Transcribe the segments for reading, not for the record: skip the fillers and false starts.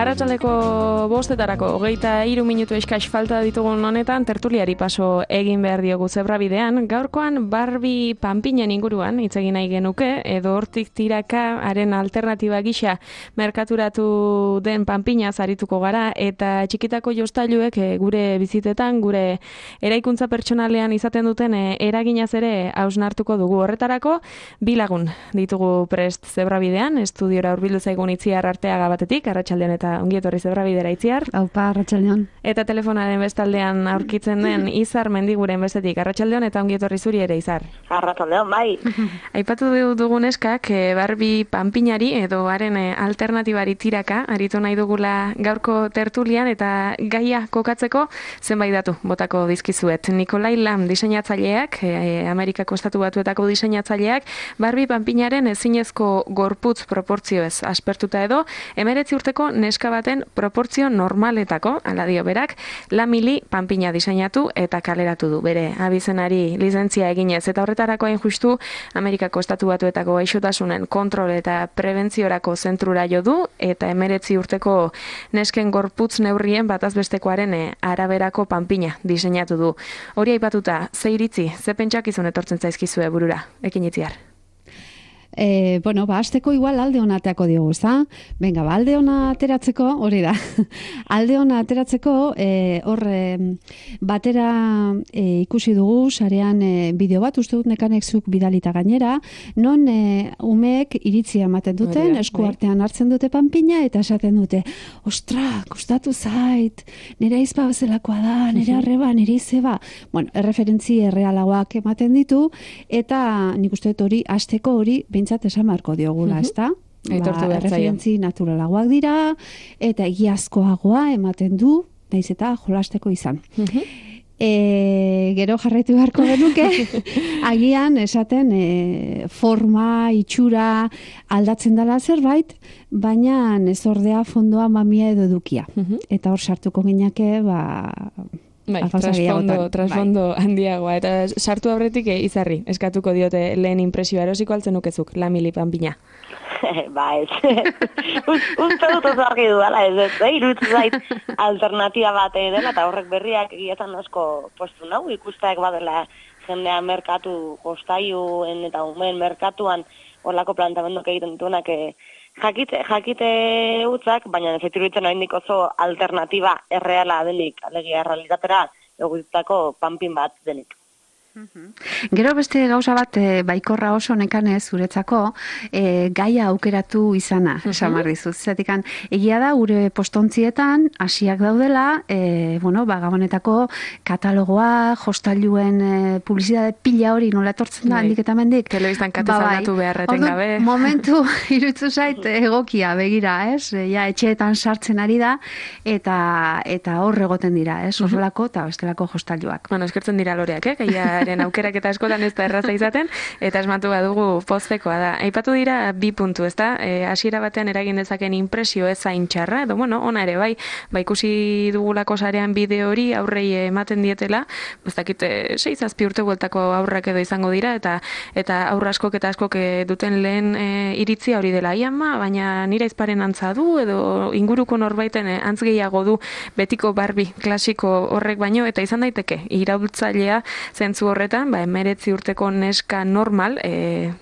Arratsaleko 5:00 23 minutu eskas falta ditugun honetan tertuliari paso egin behar diogu zebrabidean. Gaurkoan Barbie panpinen inguruan hitz egin nahi genuke, edo hortik tiraka haren alternatiba gisa merkaturatu den panpinaz arituko gara, eta txikitako jostailuek gure bizitetan, gure eraikuntza pertsonalean izaten duten eraginaz ere hausnartuko dugu. Horretarako bi lagun ditugu prest zebrabidean, estudiora hurbildu zaigun Itziar Arteaga batetik, arratsaldean eta ongi etorri zebrabidera Itziar. Aupa, arratsaldean. Eta telefonaren bestaldean aurkitzen den Izar Mendiguren bestetik, arratsaldean eta ongi etorri zuri ere Izar. Arratsaldean, bai. Aipatu dugun eskak Barbie panpinari edo haren alternatibari tiraka aritu nahi dugula gaurko tertulian, eta gaia kokatzeko zenbait datu botako dizkizuet. Nikolai Lam diseinatzaileak, Amerikako Estatu Batuetako diseinatzaileak, Barbie panpinaren ezinezko gorputz proportzioez aspertuta edo 19 urteko neska baten proportzio normaletako, ala dio berak, lamili panpina diseinatu eta kaleratu du bere abizenari lizentzia eginez, eta horretarako hain justu Amerikako Estatu Batuetako gaixotasunen kontrol eta prebentziorako zentrura jo du, eta 19 urteko nesken gorputz neurrien batazbestekoaren araberako panpina diseinatu du. Hori aipatuta, ze iritzi, ze pentsakizun etortzen zaizkizue burura, ekin Itziar? Azteko igual alde hona ateako diogu, ezta? Venga, alde hona ateratzeko, hori da. Alde hona ateratzeko, batera ikusi dugu, sarean bideo bat, uste dut nekanek zuk bidalita gainera, non umeek iritzia ematen duten, esku artean hartzen dute panpina, eta esaten dute, ostra, kostatu zait, nire aizpa bezalakoa da, nire arreba, nire izeba. Bueno, erreferentzi errealagoak ematen ditu, eta nik uste dut hori, azteko hori, bintzat esan marko diogula, ezta? Referentzi naturalagoak dira, eta egiazkoagoa ematen du, naiz eta jolasteko izan. Gero jarraitu beharko genuke, agian esaten forma, itxura aldatzen dela zerbait, baina ez ordea fondoa mamia edo edukia. Eta hor sartuko gineke, trasfondo handiagoa, eta sartu aurretik Izarri, eskatuko diote lehen impresioa, erosiko altzen nukezuk, lamili panpina. Ba ez, uste dut oso argi du, iruditzen zait alternatiba bat dela, eta horrek berriak egietan asko postu nahu, ikusteak badela jendea merkatu jostailuen eta umeen merkatuan horlako plantamendok egiten dituenak jakite utzak, baina efektibitzen oraindik oso alternatiba erreala denik, alegia errealitatera egitutako panpin bat denik. Gero beste gauza bat baikorra oso nekanez zuretzako gaia aukeratu izana, esan dizut. Zatikan, egia da gure postontzietan hasiak daudela, Gabonetako katalogoa, jostailuen publizitate pila hori nola etortzen da, handik eta mendik. Telebistan katezaldatu beharreten gabe. Momentu irutzu zait egokia begira, ez? Ja, etxeetan sartzen ari da, eta hor egoten dira, ez? Horrelako eta bestelako jostailuak. Bueno, eskertzen dira loreak, gaiaren aukerak eta askotan ez da erraza izaten, eta esmatu badugu poztekoa da. Aipatu dira bi puntu, ezta? Hasiera batean eragin dezaken impresio ez zain txarra, edo ona ere bai ikusi dugulako sarean bideo hori aurrei ematen dietela, ez dakit 6-7 urte bueltako aurrak edo izango dira, eta aurra askok eta askok duten lehen iritzia hori dela, baina nire aizparen antza du, edo inguruko norbaiten antz gehiago du betiko Barbie klasiko horrek baino, eta izan daiteke iraultzailea zentzu horretan, 19 urteko neska normal,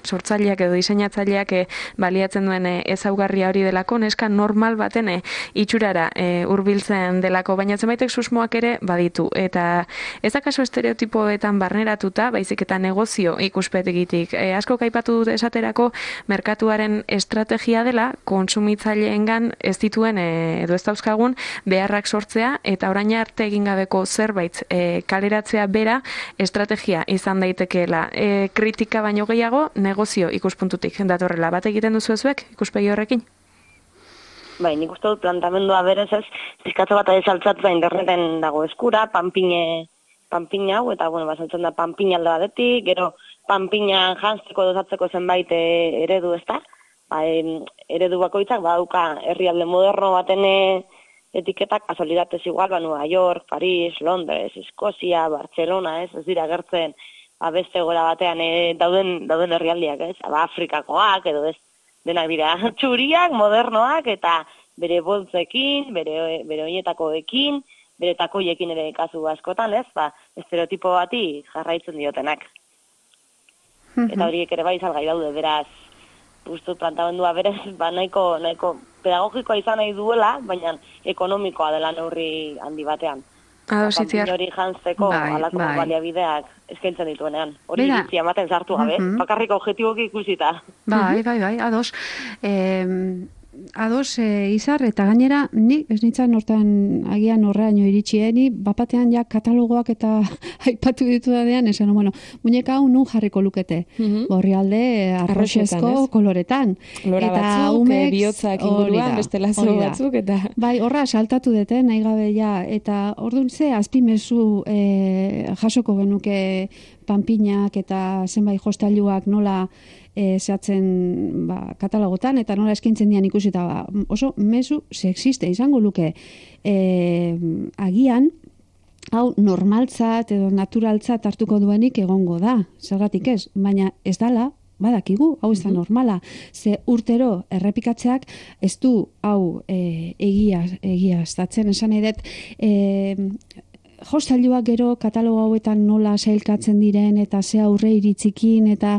sortzaileak edo diseinatzaileak baliatzen duen ezaugarria hori delako, neska normal baten itxurara hurbiltzen delako, baina zenbaitek susmoak ere baditu, eta ez akaso estereotipoetan barneratuta, baizik eta negozio ikuspegitik. Asko aipatu dut esaterako merkatuaren estrategia dela, kontsumitzaileengan ez dituen edo ez dauzkagun beharrak sortzea, eta orain arte egin gabeko zerbait kaleratzea bera estrategia izan daitekeela. Kritika baino gehiago negozio ikuspuntutik datorrela. Bat egiten duzu ezuek ikuspegi horrekin? Bai, nik uste dut plantamendua berez ez, zizkatzo bat ezaltzatu da interneten dago eskura, panpina hau, eta basaltzen da panpina alde batetik, gero panpina jantzeko dozatzeko zenbait eredu ez da, eredu bakoitzak badauka herrialde moderno baten etiketak, kasualidatez igual, Nueva York, Paris, Londres, Eskozia, Barcelona, ez dira gertzen beste gora batean dauden herrialdiak, ez? Afrikakoak, edo ez, denak dira txuriak, modernoak, eta bere boltzekin, bere oinetakoekin, bere takoiekin ere kasu askotan, ez? Ba, estereotipo bati jarraitzen diotenak. Eta horiek ere bai salgai daude, beraz, uste plantamendua berez, ba, nahiko pedagogikoa izan nahi duela, baina ekonomikoa dela neurri handi batean. Panpin hori jantzeko alako baliabideak eskaintzen dituenean. Hori iritzia ematen sartu gabe, bakarrik objetiboki ikusita. Bai, ados. Ados, Izar, eta gainera, ni ez nintzen hortan agian horreaino iritsieni, bapatean ja katalogoak eta aipatu ditu dadean, esan, bueno, muñeka hau nun jarriko lukete. Orrialde arroxezko koloretan. Lora batzuk, bihotzak inguruan, beste lazo batzuk, eta... Bai, horra saltatu dute, nahi gabe ja, eta orduan ze azpimezu jasoko genuke panpinak eta zenbait jostailuak nola zehatzen katalogotan, eta nola eskintzen dian ikusita oso mezu sexiste izango luke. Agian, hau normaltzat edo naturaltzat hartuko duenik egongo da, zergatik ez, baina ez dala, badakigu, hau ez da normala. Ze urtero errepikatzeak ez du hau egiaztatzen, esan edet, jostailuak gero katalogo hauetan nola sailkatzen diren eta ze aurre iritzikin eta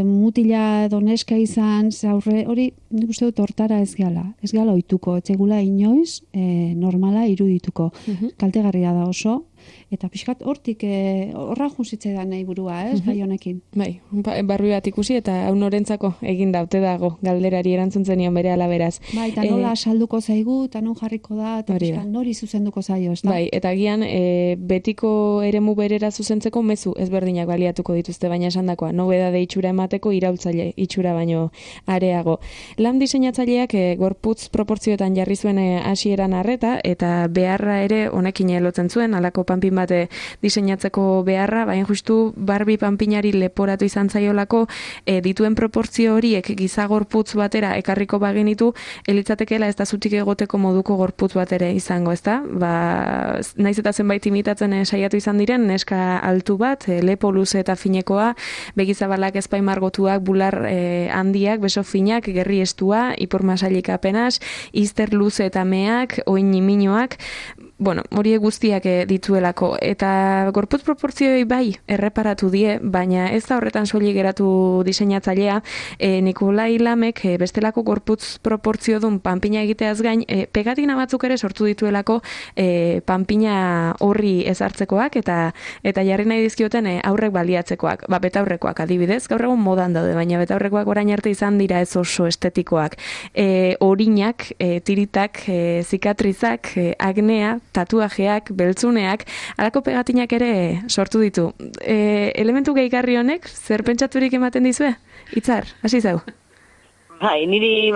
mutila edo neska izan, ze aurre hori nik uste dut hortara ez gala ohituko, etzegula inoiz normala irudituko. Kaltegarria da oso, eta pixkat hortik horra jusitze da nahi burua, gai honekin. Bai, barri bat ikusi eta hau norentzako egin daute dago galderari erantzun zenion bere alaberaz. Bai, eta nola salduko zaigu, eta non jarriko da, eta pixkat nori zuzenduko zaio, ez da? Bai, eta agian betiko eremu berera zuzentzeko mezu ezberdinak baliatuko dituzte, baina esandakoa, nobedade itxura emateko iraultzaile itxura baino areago. Lan diseinatzaileak gorputz proportzioetan jarri zuen hasieran arreta, eta beharra ere honekin lotzen zuen, alako panpin bate diseinatzeko beharra, baina justu Barbie panpinari leporatu izan zaiolako dituen proportzio horiek giza gorputz batera ekarriko bagenitu, elitzatekeela ez da zutik egoteko moduko gorputz bat ere izango, ezta? Naiz eta zenbait imitatzen saiatu izan diren, neska altu bat, lepo luze eta finekoa, begizabalak ezpaimargotuak, bular handiak, beso finak, gerri estua, ipur masailik apenas, izter luze eta meak, oin iminoak, bueno, horiek guztiak dituelako, eta gorputz proportzioi bai erreparatu die, baina ez da horretan soilik geratu diseinatzailea, Nikolai Lamek bestelako gorputz proportziodun panpina egiteaz gain, pegatina batzuk ere sortu dituelako panpina horri ezartzekoak, eta jarri nahi dizkioten aurrek baliatzekoak, betaurrekoak adibidez, gaur egun modan daude, baina betaurrekoak orain arte izan dira ez oso estetikoak, orinak, tiritak, zikatrizak, agnea, tatuajeak, beltzuneak, halako pegatinak ere sortu ditu. Elementu gehigarri honek, zer pentsaturik ematen dizue? Itzar, hasi zau. Bai, niri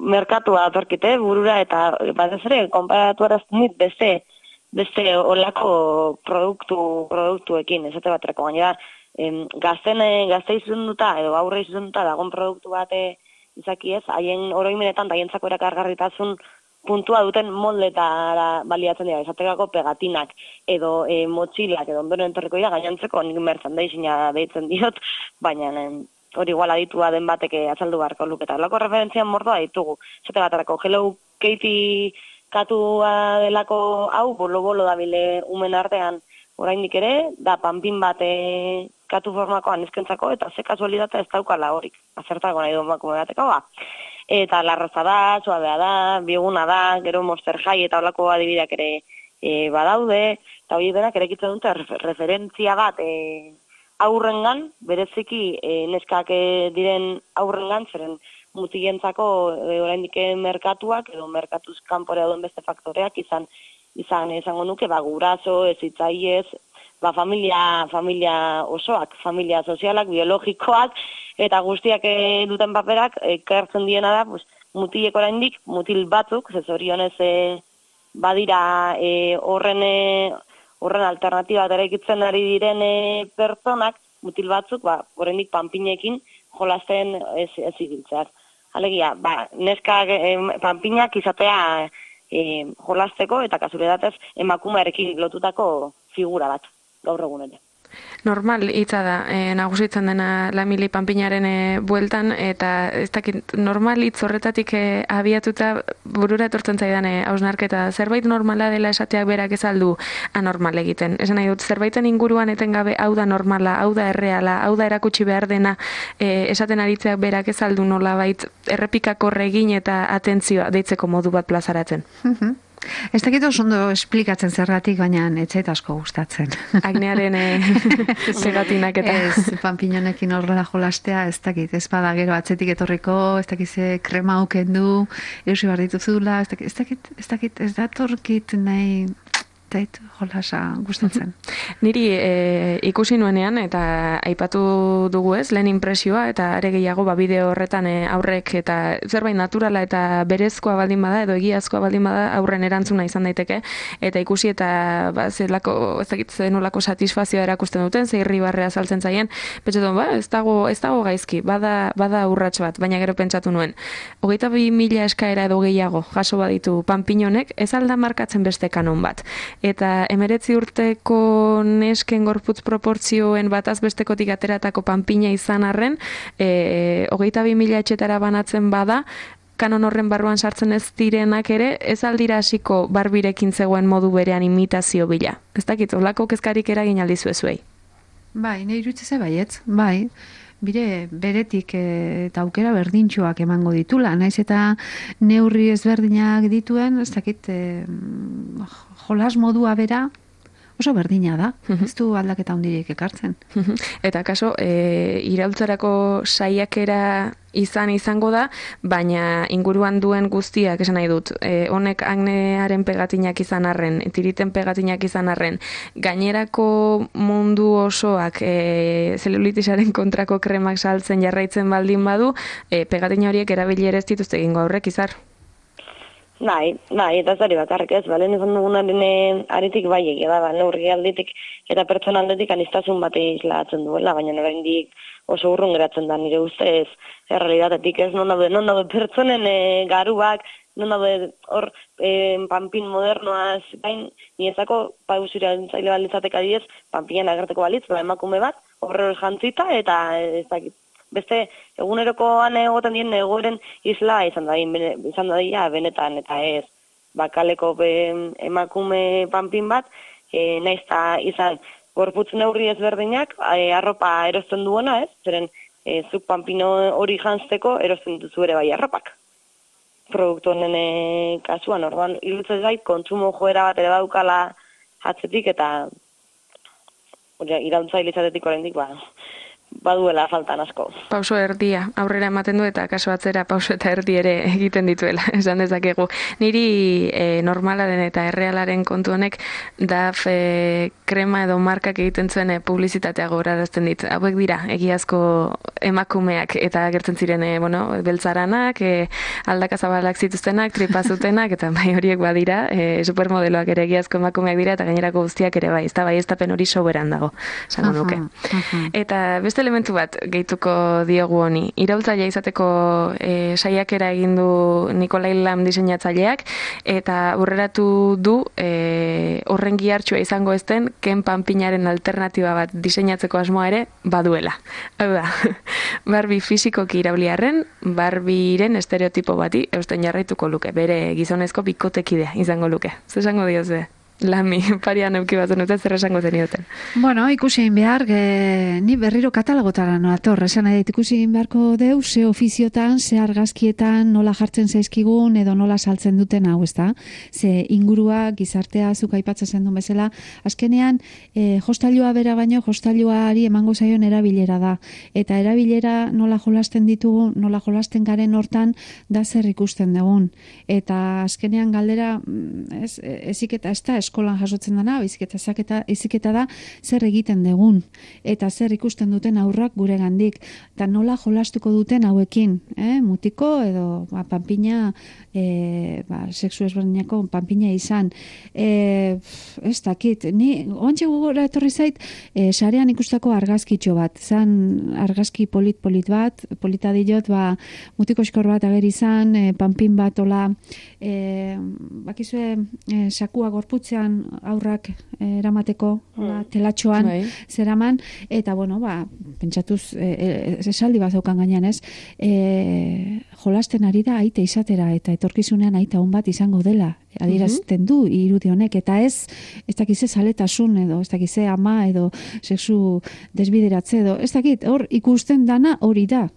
merkatua atorkite burura, eta batez ere, konparatu arazten dit beste olako produktuekin, esate baterako, baina gazte izunduta, edo aurre izunduta dagon produktu bate izaki ez, haien oroimenetan daientzako erakargarritasun puntua duten moldeetara baliatzen dira, esatekako pegatinak, edo motxilak, edo ondoren entorriko dira, gainantzeko nik merchandising-a deitzen diot, baina hori igual aditua den bateke azaldu beharko luketa. Lako referentzian mordoa ditugu, esate batarako, Hello Kitty katua delako hau, bolo-bolo dabile umen artean, oraindik ere, da panpin bate katu formakoan ezkentzako, eta ze kasualidata ez daukala horik, azertako nahi duen bakume bateko, eta larraza da, suabea da, bioguna da, gero Monster High eta holako adibideak ere badaude, eta hori denak erekitzen dute referentzia bat aurrengan, bereziki neskak diren aurrengan, zeren mutilentzako oraindik merkatuak, edo merkatuz kanpora duen beste faktoreak izan esango nuke, guraso, hezitzaiez, familia osoak, familia sozialak, biologikoak, eta guztiak duten paperak, ekartzen diena da, mutilek oraindik, mutil batzuk, zezorionez badira horren alternatiba eraikitzen ari diren pertsonak, mutil batzuk, oraindik panpinekin jolasten ez ibiltzeak. Alegia, neskak panpinak izatea jolasteko eta kasualitatez emakumearekin lotutako figura bat, gaur egun ere. Normal hitza da, nagusitzen dena Lamili panpinaren bueltan, eta ez dakit, normal hitz horretatik abiatuta burura etortzen zaidan hausnarketa. Zerbait normala dela esateak berak ez aldu anormal egiten. Esan nahi dut, zerbaiten inguruan etengabe hau da normala, hau da erreala, hau da erakutsi behar dena, esaten aritzeak berak ez aldu nolabait errepikakorre egin eta atentzioa deitzeko modu bat plazaratzen. Ez dakit oso ondo esplikatzen zergatik, baina ez zait asko gustatzen. Agnearen segatinak eta... Ez, panpinonekin horrela jolastea, ez dakit, ez bada gero atzetik etorriko, ez dakit ze krema auken du, erosi behar dituzula, ez datorkit nahi... Zait, jolasa gustatzen. Niri ikusi nuenean eta aipatu dugu ez, lehen impresioa eta are gehiago bideo horretan aurrek eta zerbait naturala eta berezkoa baldin bada edo egiazkoa baldin bada aurren erantzuna izan daiteke eta ikusi eta zelako, ez dakit zenolako satisfazioa erakusten duten, ze irribarrea saltzen zaien, pentsatu, ez dago gaizki, bada urrats bat, baina gero pentsatu nuen. 22.000 eskaera edo gehiago jaso baditu panpinonek, ez alda markatzen beste kanon bat. Eta 19 urteko nesken gorputz proportzioen bataz bestekotik ateratako panpina izan arren, 22.000 etxetara banatzen bada, kanon horren barruan sartzen ez direnak ere, ez aldira hasiko Barbirekin zegoen modu berean imitazio bila. Ez dakit, olako kezkarik eragin aldizu ezuei. Bai, nahi irutze baietz, bai. Bire beretik eta aukera berdintxoak emango ditula, naiz eta neurri ezberdinak dituen, ez dakit, jolas modua bera oso berdina da, ez du aldaketa handirik ekartzen. Eta kaso, iraultzarako saiakera izango da, baina inguruan duen guztiak, esan nahi dut, honek agnearen pegatinak izan arren, tiriten pegatinak izan arren, gainerako mundu osoak zelulitisaren kontrako kremak saltzen jarraitzen baldin badu, pegatina horiek erabili ere ez dituzte egingo aurrek izar. Bai, eta zari bakarrik ez, balen izan dugunaren aretik bai egia da, neurri aldetik eta pertsona aldetik anistazun bate islatzen duela, baina oraindik oso urrun geratzen da nire ustez errealitatetik ez, non daude pertsonen garuak, non daude hor panpin modernoaz, bain, niezako pausura entzaile balitzateka diez, panpinan agerteko balitz, emakume bat, horre jantzita, eta ez dakit. Beste, egunerokoan egoten dien egoeren isla izan da benetan, eta ez, bakaleko emakume panpin bat, naizta izan gorputz neurri ezberdinak, arropa erosten duena, ez? Zeren, zuk panpino hori jantzteko erosten duzu ere bai arropak. Produktu honen kasuan, orduan, irutzez gait, kontsumo joera bat ere daukala atzetik, eta irautzaile izatetik oraindik baduela faltan asko. Pauso erdia, aurrera ematen du eta kaso atzera pauso eta erdi ere egiten dituela, esan dezakegu. Niri normalaren eta errealaren kontu honek DAF krema edo markak egiten zuen publizitatea gogorarazten dit. Hauek dira, egiazko emakumeak eta agertzen ziren beltzaranak, aldakazabalak zituztenak, tripazutenak, eta bai horiek badira, supermodeloak ere egiazko emakumeak dira, eta gainerako guztiak ere bai, ez da bai ez tapen hori soberan dago, esango nuke. Eta beste elementu bat gehituko diogu honi. Iraultzailea izateko saiakera egin du Nikolai Lam diseinatzaileak eta aurreratu du horren gihartsua izango ezten Ken panpinaren alternatiba bat diseinatzeko asmoa ere baduela. Hau da, Barbie fisikoki irauliarren, Barbieren estereotipo bati eusten jarraituko luke, bere gizonezko bikotekidea izango luke. Zer esango dioze? Lami, parian euki batzen dute, zer esango zenioten. Bueno, ikusi egin behar, ni berriro katalogotara noator, esan edit ikusi egin beharko deu, ze ofiziotan, ze argazkietan, nola jartzen zaizkigun, edo nola saltzen duten hau, ezta? Ze ingurua, gizartea, zuk aipatzen zen duen bezala, azkenean, jostailua bera baino, jostailuari emango zaion erabilera da. Eta erabilera nola jolasten ditugu, nola jolasten garen hortan, da zer ikusten dugun. Eta azkenean galdera, eziketa, ez da, eskolan jasotzen dana, iziketa da zer egiten dugun eta zer ikusten duten aurrak gure gandik eta nola jolastuko duten hauekin, mutiko edo panpina, sexu ezberdinako panpina izan. Ez dakit, ni ontxe gogora etorri zait, sarean ikustako argazkitxo bat, zan argazki polit bat, polita diot, mutiko eskor bat ageri izan, panpin bat, ola, bakizue sakua gorputzea atzean aurrak eramateko, telatxoan zeraman, eta bueno, pentsatuz, esaldi bat zeukan gainean ez, jolasten ari da aite izatera, eta etorkizunean aita hon bat izango dela, adierazten du irudi honek, eta ez dakize zaletasun edo, ez dakize ama edo sexu desbideratze edo, ez dakit, hor ikusten dana hori da.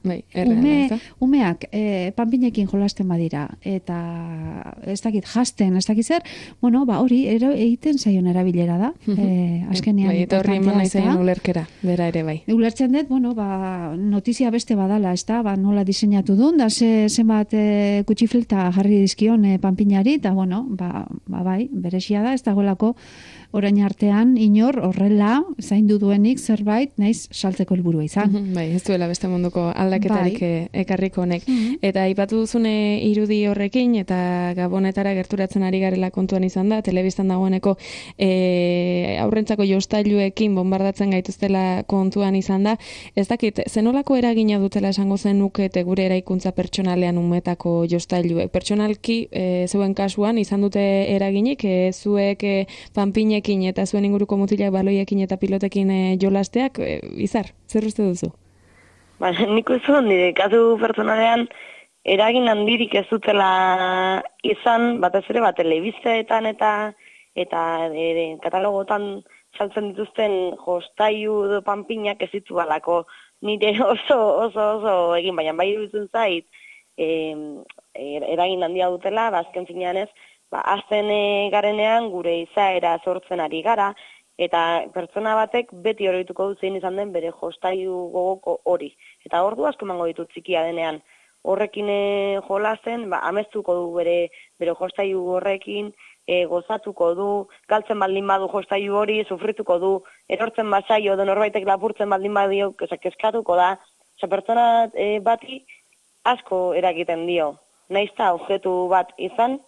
Umeak panpinekin jolasten badira, eta ez dakit jasten, ez dakit zer, bueno, hori egiten zaion erabilera da. Azkenean. Eta horri eman nahi zain ulerkera, bera ere bai. Ulertzen dut, bueno, notizia beste badala, ez da, nola diseinatu duen, da zenbat kutxifleta jarri dizkion panpinari, eta bueno, bai, beresia da, ez dagoelako orain artean inor horrela zaindu duenik zerbait naiz saltzeko helburua izan. Bai, ez duela beste munduko aldaketarik ekarriko honek. Eta aipatu duzune irudi horrekin eta Gabonetara gerturatzen ari garela kontuan izan da, telebistan dagoeneko aurrentzako jostailuekin bombardatzen gaituztela kontuan izan da. Ez dakit, zenolako eragina dutela esango zenukete gure eraikuntza pertsonalean umetako jostailuek? Pertsonalki zeuen kasuan izan dute eraginik, zuek panpinek eta zuen inguruko mutilak baloiekin eta pilotekin jolasteak, Izar, zer uste duzu? Nik uste nire kasu pertsonalean eragin handirik ez dutela izan, batez ere telebisteetan eta katalogotan saltzen dituzten jostailu edo panpinak ez ditu balako nire oso egin, baina bai iruditzen zait eragin handia dutela, azken finean ez, azten garenean gure izaera sortzen ari gara, eta pertsona batek beti horretuko duzein izan den bere jostailu gogoko hori. Eta ordu asko emango ditut txikia denean. Horrekin jolasten, amestuko du bere jostailu horrekin, gozatuko du, galtzen baldin badu jostailu hori, sufrituko du, erortzen basaio, norbaitek lapurtzen baldin badio, kezkatuko da. Pertsona bati asko eragiten dio. Naizta objektu bat izan,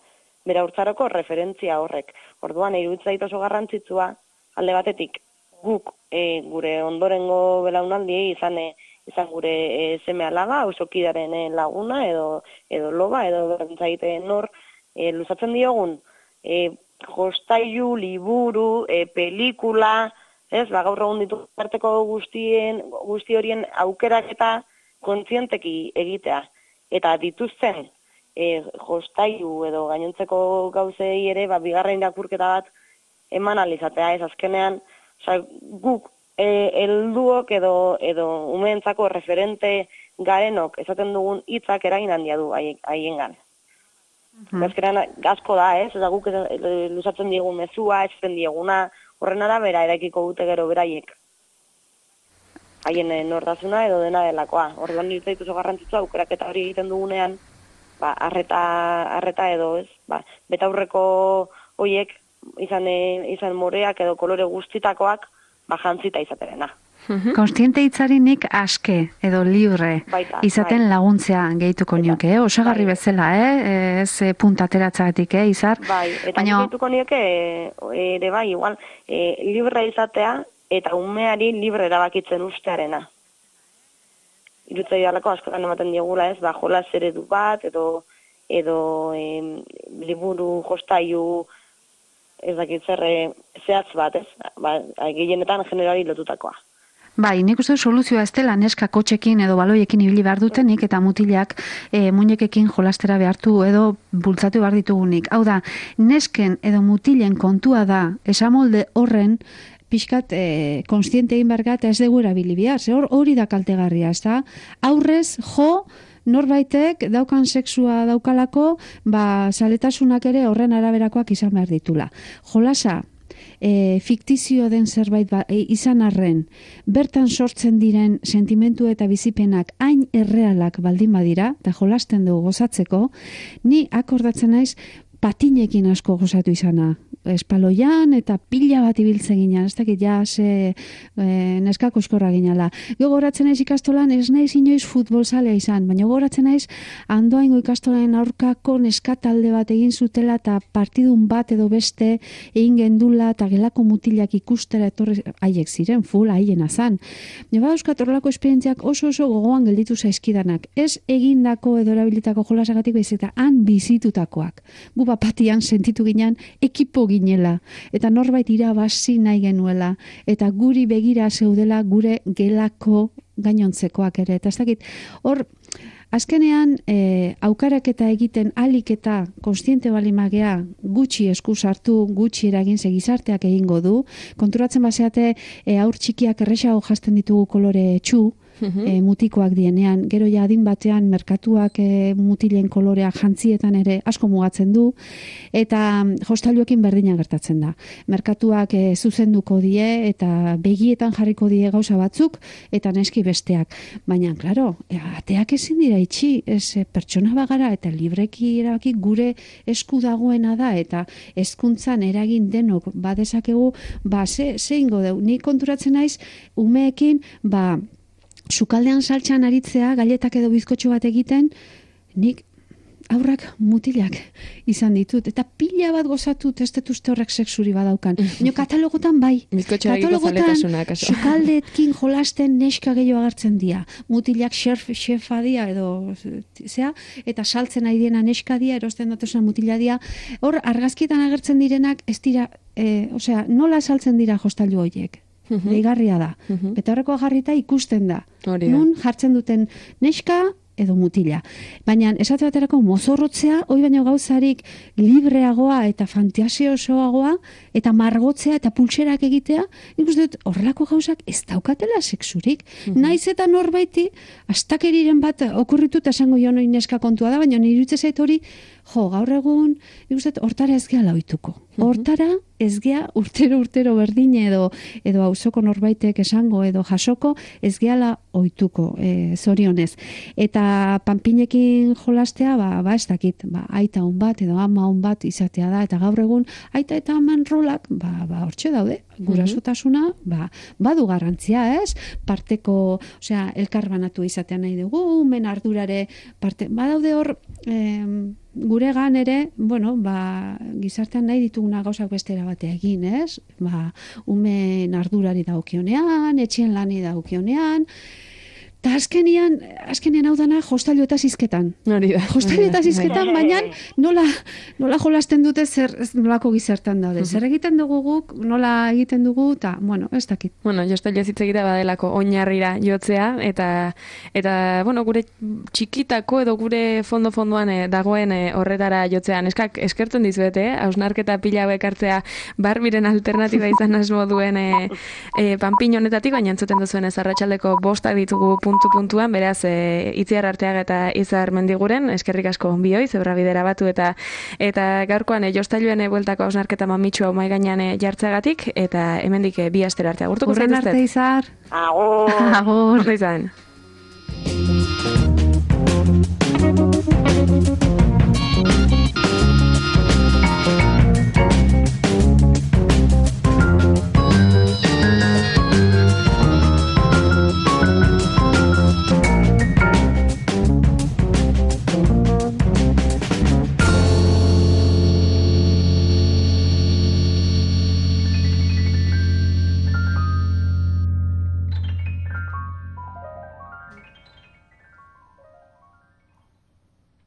bera urtzaroko referentzia horrek. Orduan, iruditzen zait oso garrantzitsua, alde batetik, guk gure ondorengo belaunaldiei izan gure seme alaba, ausokidaren laguna, edo loba, edo berantzaite nor, luzatzen diogun, jostailu, liburu, pelikula, gaur egun ditu arteko guzti horien aukerak eta kontzienteki egitea. Eta dituzten, jostailu edo gainontzeko gauzei ere, bigarren irakurketa bat eman alizatea, ez azkenean, guk helduok edo umeentzako referente garenok esaten dugun hitzak eragin handia du haiengan. Azkenean asko da, ez guk luzatzen diegun mezua, esaten dieguna, horren arabera eraikiko dute gero beraiek. Haien nortasuna edo dena delakoa. Orduan nire zaitu oso garrantzitsua aukeraketa hori egiten dugunean, arreta edo ez, betaurreko horiek izan moreak edo kolore guztitakoak jantzita izaterena. Konstiente hitzarinik aske edo libre izaten laguntzea gehituko nioke, osagarri bezala, ez puntateratzagatik, Izar? Eta gehituko nioke ere igual, libre izatea eta umeari libre erabakitzen ustearena. Irutzai dalako askotan ematen diegula, ez, jolas eredu bat, edo liburu jostailu, ez dakit zer zehatz bat, ez, gehienetan generali lotutakoa. Bai, nik uste soluzioa ez dela neska kotxekin edo baloiekin ibili behar dutenik eta mutilak muñekekin jolastera behartu edo bultzatu behar ditugunik. Hau da, nesken edo mutilen kontua da, esamolde horren pixkat konstiente egin bergat ez dugu erabili behar, hori da kaltegarria, ez da? Aurrez, norbaitek daukan sexua daukalako, zaletasunak ere horren araberakoak izan behar ditula. Jolasa, fiktizio den zerbait izan arren, bertan sortzen diren sentimentu eta bizipenak hain errealak baldin badira, eta jolasten dugu gozatzeko, ni akordatzen naiz patinekin asko gozatu izana. Espaloian eta pila bat ibiltzen ginen, ez dakit neskako eskorra ginala. Gogoratzen naiz ikastolan, ez naiz inoiz futbolzalea izan, baina gogoratzen naiz Andoaingo ikastolaren aurkako neskatalde bat egin zutela eta partidun bat edo beste egin gendula eta gelako mutilak ikustera etorri haiek ziren, full haiena zan. Neba euskat horrelako esperientziak oso gogoan gelditu zaizkidanak. Ez egindako edo erabilitako jolasagatik baizik eta han bizitutakoak. Gu bapatian sentitu ginen ekipo ginela, eta norbait irabazi nahi genuela, eta guri begira zeudela gure gelako gainontzekoak ere. Eta ez dakit, hor, azkenean, aukaraketa egiten alik eta konstiente balimagea gutxi esku sartu, gutxi eragin gizarteak egingo du. Konturatzen baseate, aur txikiak erresago jasten ditugu kolore txu, mutikoak dienean, gero ja adin batean merkatuak mutilen kolorea jantzietan ere asko mugatzen du, eta jostailuekin berdina gertatzen da. Merkatuak zuzenduko die eta begietan jarriko die gauza batzuk eta neski besteak. Baina, klaro, ateak ezin dira itxi, pertsona bagara eta libreki erabaki gure esku dagoena da eta hezkuntzan eragin denok badezakegu, ze ingo deu. Ni konturatzen naiz umeekin, sukaldean saltxan aritzea, galetak edo bizkotxo bat egiten, nik aurrak mutilak izan ditut. Eta pila bat gozatut ez dut uste horrek sexuri badaukan. Baina katalogotan bai. Katalogotan sukaldetkin jolasten neska gehiago agertzen dira. Mutilak xefa dia edo eta saltzen ari diena neska dia, erosten datosan mutila dia. Hor, argazkietan agertzen direnak ez dira, nola saltzen dira jostailu horiek. Deigarria da. Eta horrekoa jarrita ikusten da. Nun jartzen duten neska edo mutila. Baina esate baterako mozorrotzea, hoi baino gauzarik libreagoa eta fantasiosoagoa eta margotzea eta pultserak egitea, nik uste dut horrelako gauzak ez daukatela sexurik. Naiz eta norbaiti astakeriren bat okurritut esango jo noi neska kontua da, baina nire iruditzen zait hori, gaur egun, nik uste dut hortara ez gehala ohituko. Hortara ez gea urtero berdine edo auzoko norbaitek esango edo jasoko ez gehala ohituko, zorionez. Eta panpinekin jolastea, ez dakit, aita hon bat edo ama hon bat izatea da, eta gaur egun aita eta aman rolak, hortxe daude, gurasotasuna, badu garrantzia, ez? Parteko, elkar banatu izatea nahi dugu, men ardurare parte, badaude hor, guregan ere, gizartean nahi dituguna gauzak bestera batea egin, ez? Umen ardurari daukionean, etxien lani daukionean, eta azkenean hau dana jostailu eta zizketan. Jostailu eta zizketan, baina nola jolasten dute nolako gizartan daude. Zer egiten dugu guk, nola egiten dugu, eta, ez dakit. Jostailu ez hitz egitea badelako oinarrira jotzea, eta gure txikitako edo gure fondoan dagoen horretara jotzea. Neskak eskertzen dizuete, hausnarketa pila bekartzea Barbiren alternatiba izan asmo duen panpin honetatik, baina entzuten duzuen ez arratsaldeko 5 ditugu puntuan, beraz, Itziar Arteaga eta Izar Mendiguren, eskerrik asko bioi, zebra bidera batu eta gaurkoan jostailuen bueltako hausnarketa mamitxua mahai gainean jartzeagatik, eta hemendik 2 astera arte agurtuko zaituztet. Urren arte, Izar. Agur. Agur. Izan.